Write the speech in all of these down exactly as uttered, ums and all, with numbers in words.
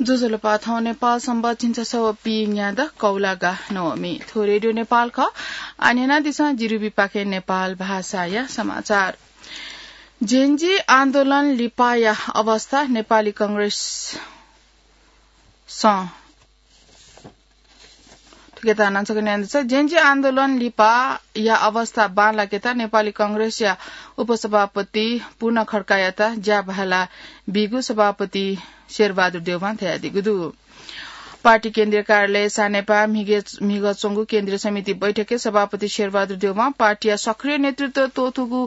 ज्वजलपा, थौं नेपाल संवत् झिंछसः व पीन्यादँ कौलागा नवमी। थ्व रेडियो नेपाल खः। आः न्यनादिसँ जिरुबीपाखें नेपाल भाषाया समाचार। जेन्जी आन्दोलन लिपाया अवस्था नेपाली कांग्रेसं थुकेता नांचक न्यायन्त जेन्जी आन्दोलन लिपाया अवस्था बांलाकेता नेपाली कांग्रेसया उपसभापति पूर्ण खड्कायात ज्या भाला बीगु सभापति शेरबहादुर देवां धयादीगु दु। पार्टी केन्द्रीय कार्यालय सानेपा म्हिगे-, म्हिगः च्वंगु केन्द्रीय समिति बैठकय् सभापति शेरबहादुर देवां पार्टीया सक्रिय नेतृत्व त्वःतूगु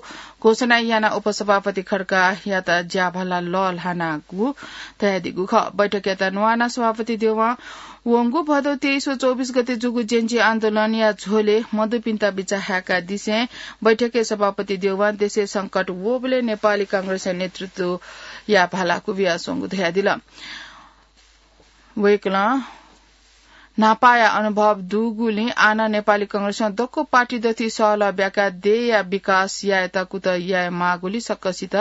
घोषणा यानाः उपसभापति खड्कायात ज्या भाला लःल्हानागु धयादीगु खः। बैठकयात न्वानाः सभापति देवां वंगु भदौ तेइस व चौबिस गते जूगु जेन्जी आन्दोलनया झ्वलय् मदुपिन्त बिचाः हाय्कादिसें बैठकय् सभापति देवां देशय् संकट वःबलय् नेपाली कांग्रेसया नेतृत्वया भाला क्वबियाच्वंगु धयादिल। वय्कलं न्हापाया अनुभव दुगुलिं आः नं नेपाली कांग्रेसं दक्व पार्टी दथुइ सहलह ब्याकाः देय्‌या विकास यायेत कुतः यायेमाःगुलिं सकसित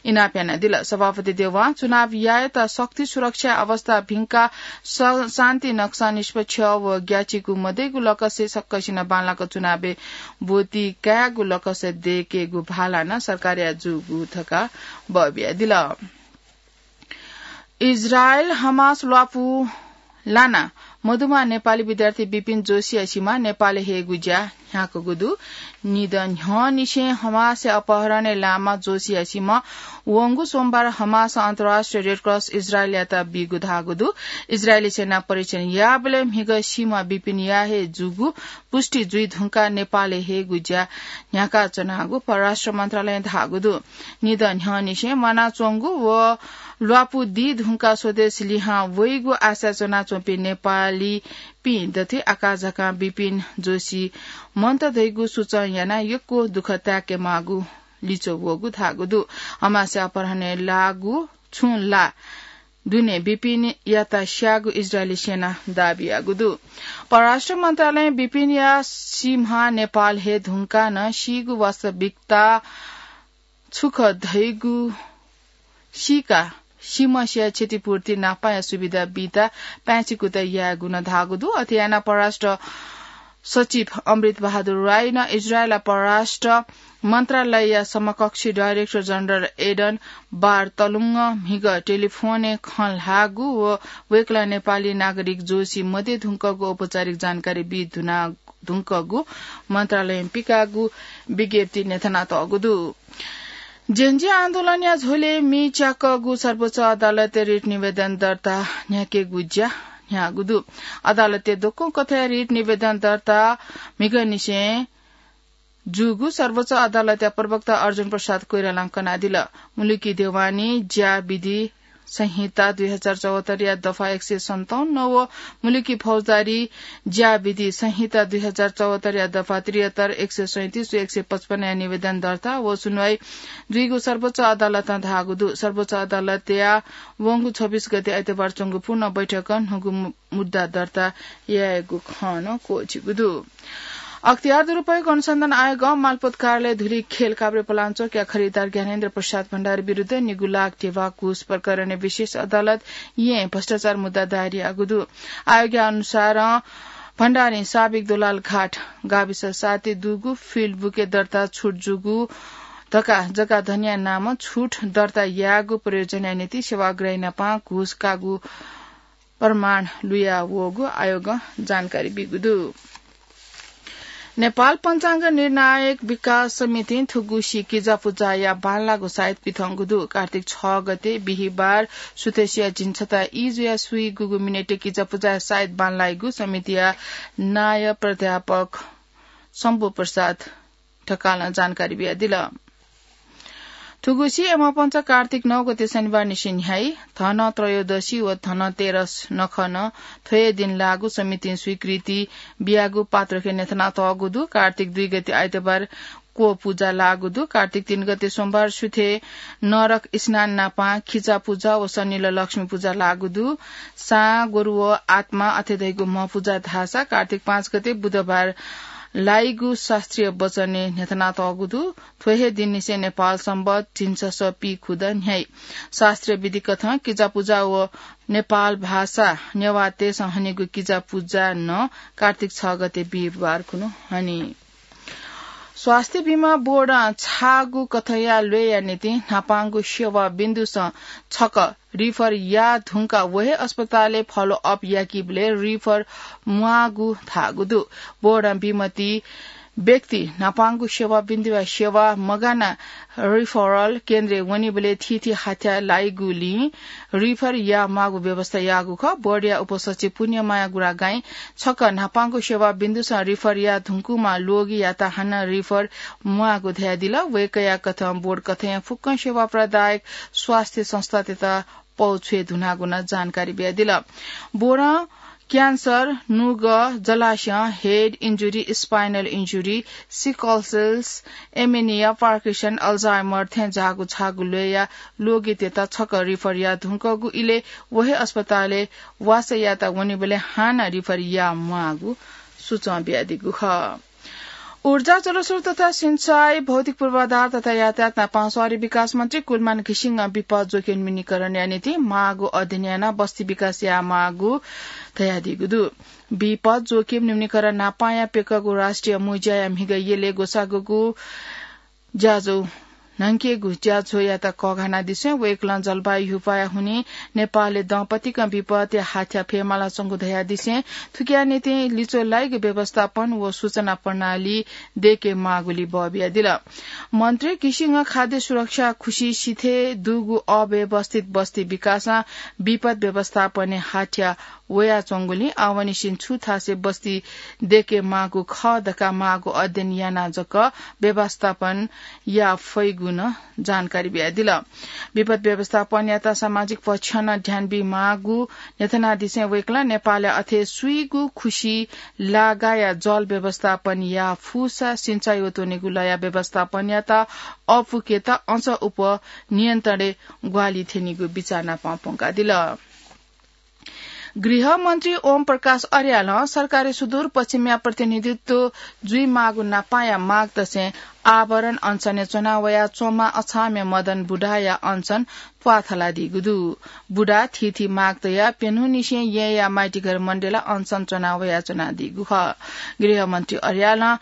इनाप यानादिल। सभापति देवां चुनाव यायेत शक्ति सुरक्षा अवस्था भिंकाः स-, शान्ति नक्सा निष्पक्ष व ग्याचिकु मदइगु लकसय् सकसिनं बांलाक चुनावय् ब्वति कायेगु लकस दयेकेगु भाला नं सरकारया जूगु धकाः बःबियादिल। इजरायल हमास ल्वापु लानाः मदुम्ह नेपाली विद्यार्थी विपिन जोशीया सीमा नेपालय् हयेगु ज्या न्ह्याकूगु दु। निदँ न्ह्यःनिसें हमासया अपहरणय् लाःम्ह जोशीया सीमा वंगु सोमबार हमासं अन्तर्राष्ट्रिय रेडक्रस इजरायलयात बीगु धाःगु दु। इजरायली सेनां परीक्षण याःबलय् म्हिगः सीमा विपिनया हे जूगु पुष्टि जुइधुंकाः नेपालय् हयेगु ज्या न्ह्याकाच्वनागु परराष्ट्र मन्त्रालयं धाःगु दु। निदँ न्ह्यःनिसें म्वानाच्वंगु व ल्वापु दीधुंकाः स्वदेश लिहां वइगु आशा च्वनाच्वंपिं नेपालीपिं दथुइ आकाझाकां विपिन जोशी मन्त धइगु सूचं यानाः यक्व दुःख ताय्केमाःगु लिच्वः वःगु धाःगु दु। हमासया अपहरणय् लाःगु छुं ला दुने विपिनयात स्याःगु इजरायली सेनां दाबी याःगु दु। परराष्ट्र मन्त्रालयं विपिनया सीम्ह नेपाल हयेधुंकाः नं सीगु वास्तविकता छु खः धइगु सीकाः सीम्हसिया क्षतिपूर्ति नापांया सुविधा बीत पाय्छि कुतः यायेगु नं धाःगु दु। अथे यानाः परराष्ट्र सचिव अमृत बहादुर राईं इजरायलया परराष्ट्र मन्त्रालयया समकक्षी डाइरेक्टर जनरल एडन बारतलुङं म्हिगः टेलिफोनय् खँ ल्हाःगु व वय्कलं नेपाली नागरिक जोशी मदये धुंकःगु औपचारिक जानकारी बी धुना धुंकःगु मन्त्रालयं पिकाःगु विज्ञप्ति न्ह्यथनातःगु दु। जेन्जी आन्दोलनया झ्वलय् मि च्याकःगु सर्वोच्च अदालतय् रिट निवेदन दर्ता न्ह्याकेगु ज्या न्ह्याःगु दु। अदालतय् दक्व कथंया रिट निवेदन दर्ता म्हिगःनिसें जूगु सर्वोच्च अदालतया प्रवक्ता अर्जुन प्रसाद कोइरालां कनादिल। मुलुकी देवानी ज्या विधि संहिता दुई हजार चौहत्तरया दफा एक सय सन्ताउन्न व मुलुकी फौजदारी ज्या विधि संहिता दुई हजार चौहत्तरया दफा त्रिहत्तर, एक सय सैंतिस व एक सय पचपन्नया निवेदन दर्ता व सुनवाई जुइगु सर्वोच्च अदालतं धाःगु दु। सर्वोच्च अदालतया वंगु छब्बिस गते आइतबार च्वंगु पूर्ण बैठकं न्हूगु मु-, मुद्दा दर्ता यायेगु खँ नं क्वःछिगु दु। अख्तियार दुरुपयोग अनुसन्धान आयोगं मालपोत कार्यालय धुलिखेल काभ्रेपलाञ्चोकया खरिदार ज्ञानेन्द्र प्रसाद भण्डारी विरुद्ध निगू लाख ध्यबा घुस प्रकरणय् विशेष अदालत येँय् भ्रष्टाचार मुद्दा दायर याःगु दु। आयोगया अनुसारं भण्डारीं साबिक दोलालघाट गाविस सातय् दुगु फिल्ड बुकय् दर्ता छुट जूगु धकाः जग्गा धनीया नामं छुट दर्ता याःगु प्रयोजनया निंतिं सेवाग्राही नाप घुस काःगु प्रमाण लुया वःगु आयोगं जानकारी बीगु दु। नेपाल पञ्चाङ्ग निर्णायक विकास समितिं थुगुसी किजापुजाया बांलाःगु साइत पिथंगु दु। कार्तिक छ गते बिहिबार सुथसिया झिंछता ई जुया स्वीगूगु मिनेटय् किजापुजाया साइत बांलाइगु समितिया नायः प्राध्यापक शम्भु प्रसाद ढकालं जानकारी बियादिल। थुगुसी यमपञ्च कार्तिक नौ गते शनिबार निसें न्ह्याइ, धन त्रयोदशी व धन तेरस नखः नं थ्व हे दिं लाःगु समितिं स्वीकृति बियागु पात्रखे न्ह्यथनातःगु दु। कार्तिक दुई गते आइतबार क्व पुजा लाःगु दु। कार्तिक तीन गते सोमबार सुथे नरक स्नान नाप खिचा पुजा व सनिल लक्ष्मी पुजा लाःगु दु। सां, गोरु व आत्मा अथे धइगु म्ह पुजा धाःसा कार्तिक पाँच गते बुधबार लाइगु शास्त्रीय वचनय् न्ह्यथनातःगु दु। थ्व हे दिननिसें नेपाल संवत् झिंछसः पीखुदँ न्ह्याइ। शास्त्रीय विधिकथं किजापुजा व नेपाल भाषा नेवाःतय्‌सं हनीगु किजापुजा नं कार्तिक छ गते बिहिबार खुन्हु हनी। स्वास्थ्य बीमा बोर्डं छाःगु कथंया ल्वय्‌या निंतिं न्हापांगु सेवा बिन्दुसं छकः refer याः धुंकाः व हे अस्पतालय् follow up याकीबलय् refer म्वाःगु धाःगु दु। बोर्डं बीमति व्यक्ति न्हापांगु सेवा बिन्दुया सेवा मगानाः referral केन्द्रय् वनीबलय् थीथी हाथ्या लाइगुलिं refer याः म्वाःगु व्यवस्था याःगु खः। बोर्डया उपसचिव पुण्यमाया गुरागाईं छकः न्हापांगु सेवा बिन्दुसं refer याः धुंकूम्ह ल्वगियात हानं refer म्वाःगु धयादिल। वय्‌कःया कथं बोर्ड कथंया फुक्कं सेवा प्रदायक स्वास्थ्य संस्थातय्‌त पौ छ्वये धुनागु नं जानकारी बियादिल। बोर्डं क्यान्सर, नुगः, जलाशयं, head injury, spinal injury, sickle cells, anemia, Parkinson, Alzheimer थें जाःगु छाःगु ल्वय्‌या ल्वगितय्‌त छकः refer याः धुंकूगु इलय् व हे अस्पतालय् वासः यायेत वनीबलय् हानं refer याः म्वाःगु सुचं बियादीगु खः। ऊर्जा, जलस्रोत तथा सिँचाइ, भौतिक पूर्वाधार तथा यातायात नापं शहरी विकास मन्त्री कुलमान घिसिङं विपद जोखिम न्यूनीकरणया निंतिं माःगु अध्ययन यानाः बस्ती विकास याये माःगु धयादीगु दु। विपद जोखिम न्यूनीकरण नापंया प्यकःगु राष्ट्रिय मुँज्याया म्हिगः यलय् ग्वसाःगु ज्याझ्वः न्हंकेगु ज्याझ्वःयात कःघानादिसें वय्‌कलं जलवायु ह्यूपाःया हुनिं नेपालय् दँपतिकं विपदया हाथ्या फयेमालाच्वंगु धयादिसें थुकिया निंतिं लिच्वः लाइगु व्यवस्थापन व सूचना प्रणाली दयेके माःगुलि बः बियादिल। मन्त्री घिसिङं खाद्य सुरक्षा खुसि सिथय् दुगु अव्यवस्थित बस्ती विकासं विपद व्यवस्थापनय् हाथ्या वयाच्वंगुलिं आवंनिसें छु थासय् बस्ती दयेके माःगु खः धकाः माःगु अध्ययन यानाः जक व्यवस्थापन याये फइगु नं जानकारी बियादिल। विपद व्यवस्थापनयात सामाजिक पक्षं नं ध्यान बी माःगु न्ह्यथनादिसें वय्‌कलं नेपालय् अथे सुइगु खुसि लागाया जल व्यवस्थापन याये फुसा सिँचाइ व त्वनेगु लँया व्यवस्थापनयात अःपुकेत अझ उप नियन्त्रणय् ग्वाहालि थ्यनीगु बिचाः नापं प्वंकादिल। गृहमन्त्री ओम प्रकाश अर्यालं सरकारय् सुदूरपश्चिमया प्रतिनिधित्व जुइमाःगु नापंया माग दसें आवरण अनसनय् च्वना वयाच्वंम्ह अछामया मदन बुढाया अनसन त्वाथलादीगु दु। बुढा थीथी माग तयाः प्यन्हुंनिसें येँया माइतीघर मण्डेला अनसन च्वना वयाच्वनादीगु खः। गृहमन्त्री अर्यालं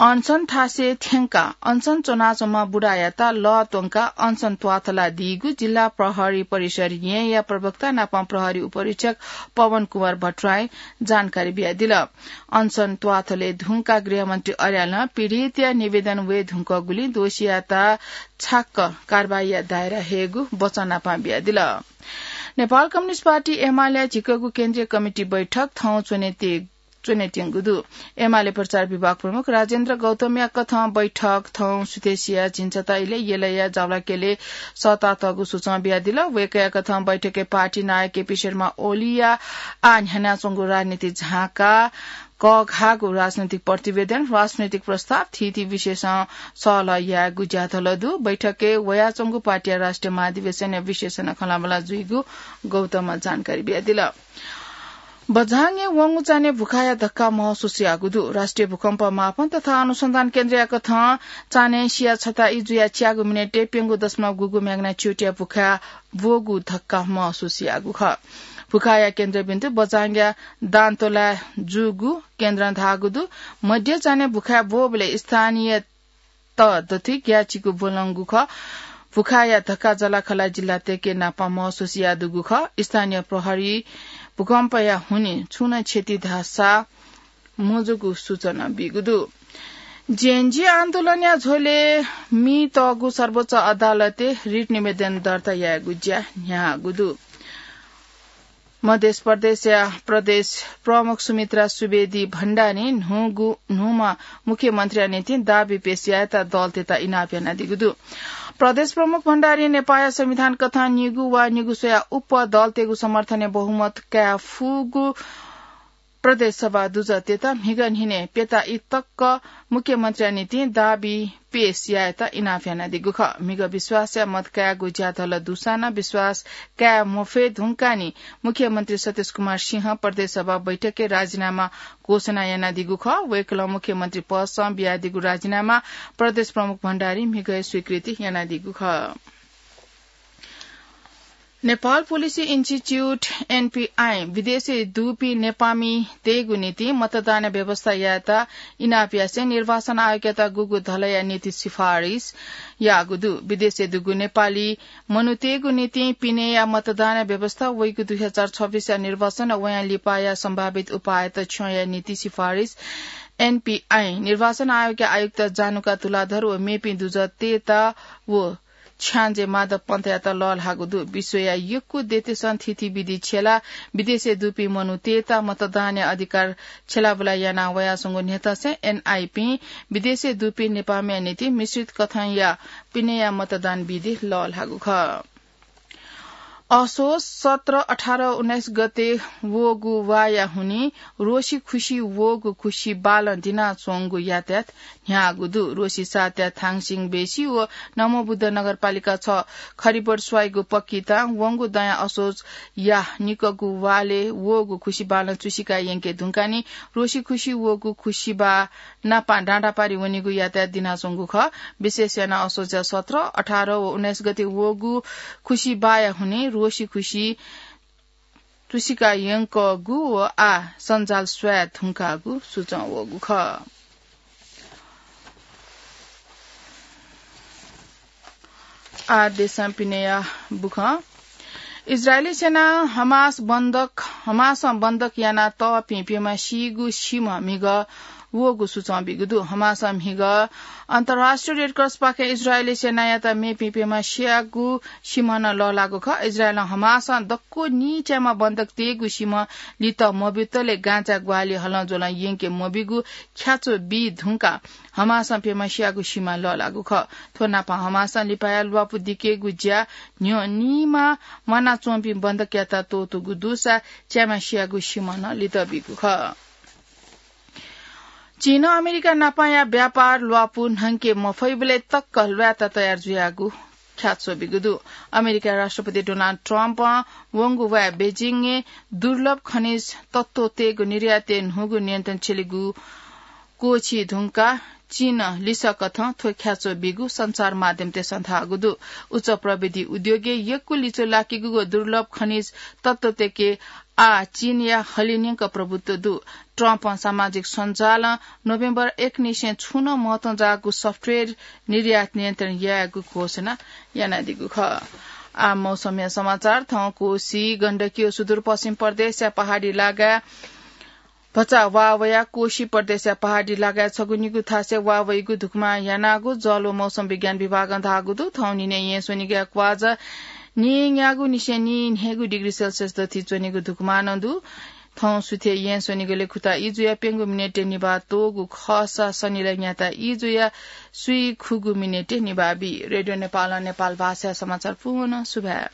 अनसन थासय् थ्यंकाः अनसन च्वनाच्वंम्ह बुढायात लः त्वंकाः अनसन त्वाथलादीगु जिल्ला प्रहरी परिसर येँया प्रवक्ता नापं प्रहरी उपरीक्षक पवन कुमार भट्टराईं जानकारी बियादिल। अनसन त्वाथले धुंकाः गृहमन्त्री अर्यालं पीडितया निवेदन वये धुंकूगुलिं दोषीयात छाक्क कारवाहीया दायरा हयेगु वचन नापं बियादिल। नेपाल कम्युनिस्ट पार्टी एमाले झिक्कःगु केन्द्रीय कमिटी बैठक थौं च्वने ते च्वनेत्यंगु दु। एमाले प्रचार विभाग प्रमुख राजेन्द्र गौतमया कथं बैठक थौं सुथसिया झिंछता इलय् यलया जावलाकेले सःतातःगु सुचं बियादिल। वय्‌कःया कथं बैठकय् पार्टी नायः केपी शर्मा ओलीया आः न्ह्यानाच्वंगु राजनीति झांकाः कःघाःगु राजनैतिक प्रतिवेदन, राजनैतिक प्रस्ताव थीथी विषयसं सहलह यायेगु ज्याझ्वः दु। बैठकय् वयाच्वंगु पार्टीया राष्ट्रिय महाधिवेशनया विषयसं खँल्हाबल्हा जुइगु गौतमं जानकारी बियादिल। बझाङय् वंगु चान्हय् भुखाया धक्का महसुस याःगु दु। राष्ट्रिय भूकम्प मापन तथा अनुसन्धान केन्द्रया कथं चान्हय् सिया छता ई जुया च्यागू मिनेटय् प्यंगू दशमलव गुगू magnitude-या भुखाय् ब्वःगु धक्का महसुस याःगु खः। भुखाया केन्द्रबिन्दु बझाङया दान्तोलाय् जूगु केन्द्रं धाःगु दु। मध्य चान्हय् भुखाय् ब्वःबलय् स्थानीय त दथुइ ग्याःचिकु ब्वलंगु खः। भुखाया धक्का जःलाखःला जिल्लातय्‌के नापं महसुस याःदुगु खः। स्थानीय प्रहरी भूकम्पया हुनिं छुं नं क्षति धाःसा मजूगु सूचना बीगु दु। Gen Z आन्दोलनया झ्वलय् मीतःगु सर्वोच्च अदालतय् रिट निवेदन दर्ता यायेगु ज्या न्ह्याःगु दु। मध्य प्रदेशया प्रदेश प्रमुख सुमित्रा सुवेदी भण्डारी न्हूगु, न्हूम्ह मुख्यमन्त्रीया निंतिं दाबी पेश यायेत दलतय्‌त इनाप यानादीगु दु। प्रदेश प्रमुख भण्डारी नेपाःया संविधान कथं निगू वा निगू स्वया उप्वः दलतय्‌गु समर्थनय् बहुमत काये फुगु प्रदेश सभा दुजःतय्त म्हिगः न्हिनय् प्यता ई तक मुख्यमन्त्रीया निंतिं दाबी पेश यायेत इनाप यानादीगु खः। म्हिगः विश्वासया मत कायेगु ज्याझ्वलय् दुसां नं विश्वास काये मफये धुंकाः नि मुख्यमन्त्री सतीश कुमार सिंहं प्रदेश सभा बैठकय् राजीनामा घोषणा यानादीगु खः। वय्कलं मुख्यमन्त्री पदसं बियादीगु राजीनामा प्रदेश प्रमुख भण्डारीं म्हिगःया स्वीकृति यानादीगु खः। नेपाल पोलिसी इन्स्टिच्युट, एनपीआई, विदेशय् दुपिं नेपाःमितय्गु निंतिं मतदान व्यवस्था यायेत इनाप यासें निर्वाचन आयोगयात गुगु धलया नीति सिफारिस याःगु दु। विदेशय् दुगु नेपाली मनूतय्गु निंतिं पिनेया मतदान व्यवस्था वइगु दुई हजार छब्बीसया निर्वाचन व वयां लिपाया सम्भावित उपायत छ्यंया नीति सिफारिस एनपीआई निर्वाचन आयोगया आयुक्त जानुका तुलाधर व मेपिं दुजःतय्त व छ्याञ्जे माधव पन्तयात लःल्हाःगु दु। विश्वया यक्व देशं थीथी विधि छ्यलाः विदेशय् दुपिं मनूतय्त मतदानया अधिकार छ्यलाबुला याना वयाच्वंगु न्ह्यथंसें एनआईपीं विदेशय् दुपिं नेपाःमिया निंतिं मिश्रित कथंया पिनेया मतदान विधि लःल्हाःगु खः। असोज सत्र, अठार, उन्नाइस गते वःगु वाःया हुनिं रोसी खुसी वःगु खुसी बालं दिनाच्वंगु यातायात न्ह्याःगु दु। रोसी सातया थाङसिङ बेसी व नमोबुद्ध नगरपालिका छ खरिबोट स्वाइगु पक्की तां वंगु दँया असोजया निकःगु वालय् वःगु खुसी बालं चुसिका यंके धुंकाः नि रोसी खुसी वःगु खुसी बाः नापं डाँडापारि वनीगु यातायात दिनाच्वंगु खः। विशेष यानाः असोजया सत्र, अठार व उन्नाइस गते वःगु खुसी बाःया हुनिं रोसी खुसी चुसिका यंकःगु व आः सञ्जाल स्वाये धुंकाःगु सुचं वःगु खः। आः देशं पिनेया बुखँ। इजरायली सेनां हमास बन्धक, हमासं बन्धक याना तःपिं प्यम्ह सीगु सिम्ह म्हिगः वःगु सुचं बीगु दु। हमासं म्हिगः अन्तर्राष्ट्रिय रेडक्रसपाखें इजरायली सेनायात मेपिं प्यम्ह स्याःगु सिम्ह नं लःल्हाःगु खः। इजरायलं हमासं दक्व नीच्याम्ह बन्धक तयेगु सिम्ह लित मब्यूतले गाँचा ग्वाहालि हलंज्वलं यंके मब्यूगु ख्याच्वः बी धुंकाः हमासं प्यम्ह स्याःगु सिम्ह लःल्हाःगु खः। थ्व नापं हमासं लिपाया ल्वापु दिकेगु ज्या न्ह्यः नीम्ह म्वानाच्वंपिं बन्धकयात त्वःतूगु दुसा च्याम्ह स्याःगु सिम्ह नं लित बीगु खः। चीनं अमेरिका नापंया व्यापार ल्वापु न्हंके मफइबलय् तक्क ल्वायेत तयार जुयागु ख्याच्वः बीगु दु। अमेरिका राष्ट्रपति डोनाल्ड ट्रम्पं वंगु वाय् बेजिङय् दुर्लभ खनिज तत्त्वतय्गु निर्यातय् न्हूगु नियन्त्रण छ्यलीगु क्वःछी धुंकाः चीनं लिसः कथं थ्व ख्याच्वः बीगु सञ्चार माध्यमतय्सं धाःगु दु। उच्च प्रविधि उद्योगय् यक्व लिच्वः लाकीगु व दुर्लभ खनिज तत्त्वतय्के आः चीनया हलिंन्यंक प्रभुत्व दु। ट्रम्पं सामाजिक सञ्जालं नोभेम्बर एक निसें छुं नं महत्वं जाःगु सफ्टवेयर निर्यात नियन्त्रण यायेगु घोषणा यानादीगु खः। आः मौसमया समाचार। थौं कोशी, गण्डकी व सुदूरपश्चिम प्रदेशया पहाडी लागाय् भचा वा वयाः कोशी प्रदेशया पहाडी लागाय् छगू निगू थासय् वा वइगु धुकुमां यानागु जल व मौसम विज्ञान विभागं धाःगु दु। थौं न्हिनय् येँ स्वनिगया क्वाःजा नीन्यागू निसें नीन्हय्गू डिग्री सेल्सियस दथुइ च्वनीगु धुकुमानं दु। थौं सुथय् येँ स्वनिगलय् खुता ई जुयाः प्यंगू मिनेटय् निभाः त्वःगु खःसा सनिलय् न्याता ई जुयाः स्वीखुगू मिनेटय् निभाः बी। रेडियो नेपालं नेपाल भाषाया समाचार पूवं सुभाय्।